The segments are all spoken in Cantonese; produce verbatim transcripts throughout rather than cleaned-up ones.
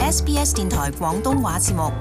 S B S 電台廣東話節目。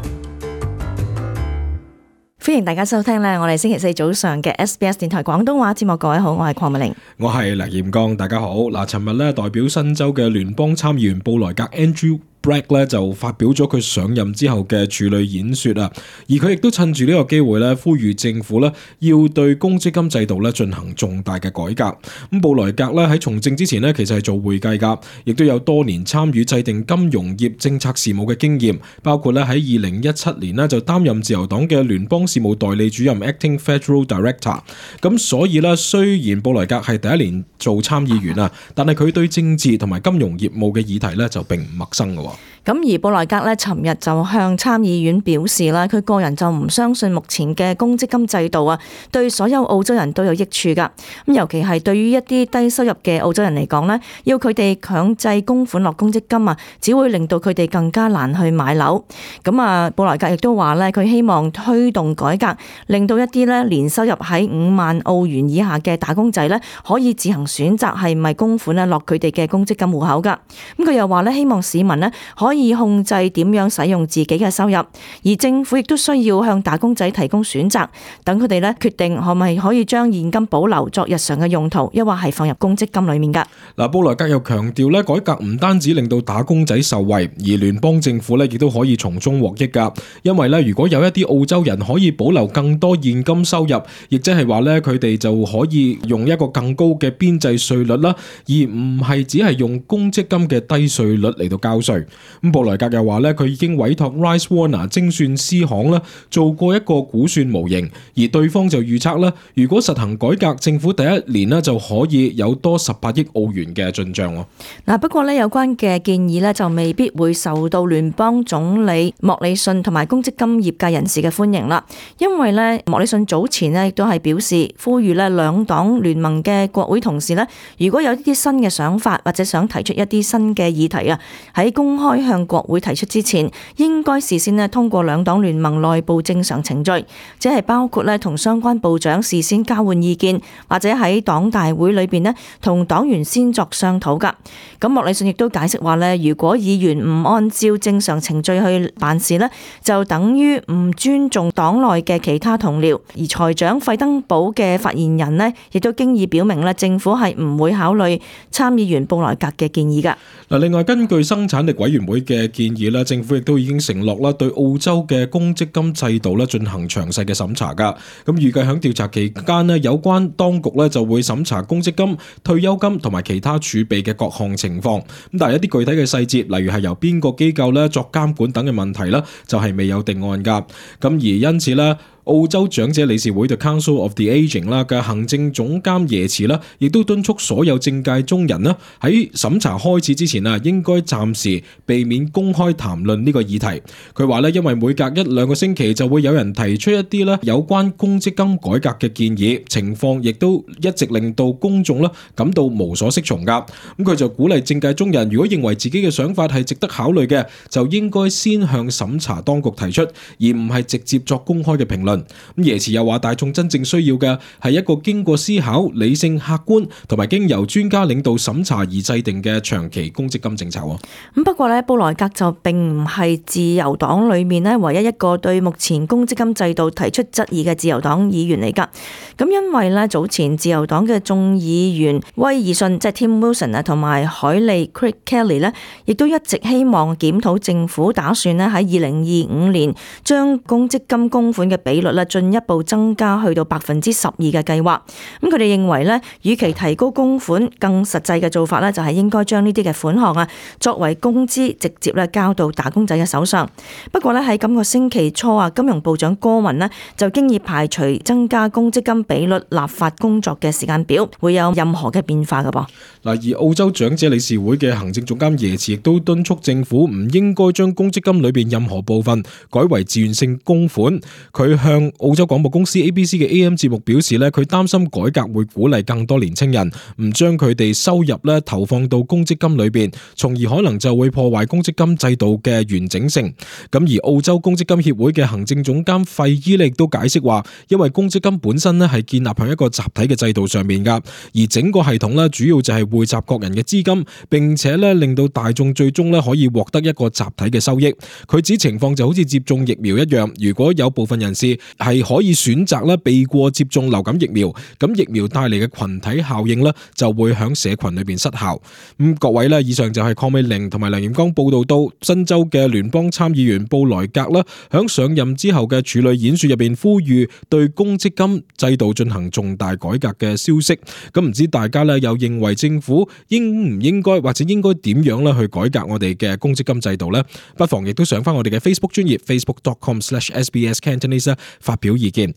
歡迎大家收聽咧，我哋星期四早上嘅 S B S 電台廣東話節目。各位好，我係鄺美玲，我係黎彥剛，大家好。嗱，尋日咧代表新州嘅聯邦參議員布萊格 Andrew Bragg 咧就發表咗佢上任之後嘅處女演說啊，而佢亦都趁住呢個機會咧，呼籲政府咧要對公積金制度咧進行重大嘅改革。咁布萊格咧喺從政之前咧，其實係做會計噶，亦都有多年參與制定金融業政策事務嘅經驗，包括咧喺二零一七年咧就擔任自由黨嘅聯邦事務代理主任 Acting Federal Director。咁所以咧，雖然布萊格係第一年做參議員啊，但係佢對政治同埋金融業務嘅議題咧就並唔陌生嘅。咁而布萊格咧，尋日就向參議院表示啦，佢個人就唔相信目前嘅公積金制度啊，對所有澳洲人都有益處噶。咁尤其係對於一啲低收入嘅澳洲人嚟講咧，要佢哋強制供款落公積金啊，只會令到佢哋更加難去買樓。咁啊，布萊格亦都話咧，佢希望推動改革，令到一啲咧年收入喺五萬澳元以下嘅打工仔咧，可以自行選擇係咪供款咧落佢哋嘅公積金戶口噶。咁佢又話咧，希望市民咧可以控制點樣使用自己嘅收入，而政府亦都需要向打工仔提供選擇，等佢哋咧決定可唔係可以將現金保留作日常嘅用途，抑或係放入公積金裏面噶。嗱，布萊格又強調咧，改革唔單止令到打工仔受惠，而聯邦政府咧亦都可以從中獲益噶。因為咧，如果有一啲澳洲人可以保留更多現金收入，亦即係話咧，佢哋就可以用一個更高嘅邊際稅率啦，而唔係只係用公積金嘅低稅率嚟到交稅。咁布萊格又話咧，佢已經委託 Rice Warner 精算師行啦做過一個估算模型，而對方就預測啦，如果實行改革，政府第一年咧就可以有多十八億澳元嘅進賬。嗱，不過咧有關嘅建議咧就未必會受到聯邦總理莫里遜同埋公積金業界人士嘅歡迎啦，因為咧莫里遜早前咧亦都係表示呼籲咧兩黨聯盟嘅國會同事咧，如果有啲新嘅想法或者想提出一啲新嘅議題啊，喺公開向國會提出之前，應該事先咧通過兩黨聯盟內部正常程序，即係包括咧同相關部長事先交換意見，或者喺黨大會裏邊咧同黨員先作商討噶。咁莫里遜亦都解釋話咧，如果議員唔按照正常程序去辦事咧，就等於唔尊重黨內嘅其他同僚。而財長費登堡嘅發言人咧，亦都經已表明咧，政府係唔會考慮參議員布萊格嘅建議噶。嗱，另外根據生產力委員會嘅建議啦，政府亦都已經承諾啦，對澳洲嘅公積金制度咧進行詳細嘅審查噶。咁預計喺調查期間咧，有關當局咧就會審查公積金、退休金同埋其他儲備嘅各項情況。咁但係一啲具體嘅細節，例如係由邊個機構咧作監管等嘅問題咧，就係未有定案噶。咁而因此咧，澳洲長者理事會 The Council of the Aging 啦嘅行政總監耶茨啦，亦都敦促所有政界中人啦喺審查開始之前啊，應該暫時避免公開談論呢個議題。佢話咧，因為每隔一兩個星期就會有人提出一啲咧有關公積金改革嘅建議，情況亦都一直令到公眾咧感到無所適從噶。咁佢就鼓勵政界中人，如果認為自己嘅想法係值得考慮嘅，就應該先向審查當局提出，而唔係直接作公開嘅評論。咁耶茨又話，大眾真正需要嘅係一個經過思考、理性、客觀同埋經由專家領導審查而制定嘅長期公積金政策。咁不過咧，布萊格就並唔係自由黨裏面咧唯一一個對目前公積金制度提出質疑嘅自由黨議員嚟噶。咁因為咧早前自由黨嘅眾議員威爾遜即係 Tim Wilson 啊，同埋海利 Craig Kelly 咧，亦都一直希望檢討政府打算咧喺二零二五年將公積金供款嘅比率咧進一步增加去到百分之十二嘅計劃。咁佢哋認為咧，與其提高供款，更實際嘅做法咧就係應該將呢啲嘅款項啊作為工資直接咧交到打工仔嘅手上。不過咧喺今個星期初啊，金融部長戈文咧就經已排除增加公積金比率立法工作嘅時間表會有任何嘅變化㗎噃。嗱，而澳洲長者理事會嘅行政總監耶茨亦都敦促政府唔應該將公積金裏邊任何部分改為自願性供款。佢向向澳洲廣播公司 A B C 嘅 A M 節目表示咧，佢擔心改革會鼓勵更多年青人唔將佢哋收入咧投放到公積金裏邊，從而可能就會破壞公積金制度嘅完整性。咁而澳洲公積金協會嘅行政總監費伊亦都解釋話，因為公積金本身咧係建立喺一個集體嘅制度上面噶，而整個系統咧主要就係匯集各人嘅資金，並且咧令到大眾最終咧可以獲得一個集體嘅收益。佢指情況就好似接種疫苗一樣，如果有部分人士係可以選擇咧避過接種流感疫苗，咁疫苗帶嚟嘅群體效應咧就會響社群裏邊失效。咁各位咧，以上就係鄺美玲同埋梁炎光報道到新州嘅聯邦參議員布萊格啦，響上任之後嘅處女演說入邊呼籲對公積金制度進行重大改革嘅消息。咁唔知大家咧又認為政府應唔應該或者應該點樣咧去改革我哋嘅公積金制度呢？不妨亦都上翻我哋嘅 Facebook 專頁 facebook dot com slash S B S Cantonese 發表意見。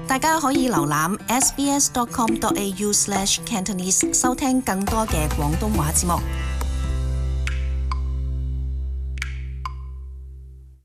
大家可以瀏覽 S B S dot com dot A U slash Cantonese 收聽更多嘅廣東話節目。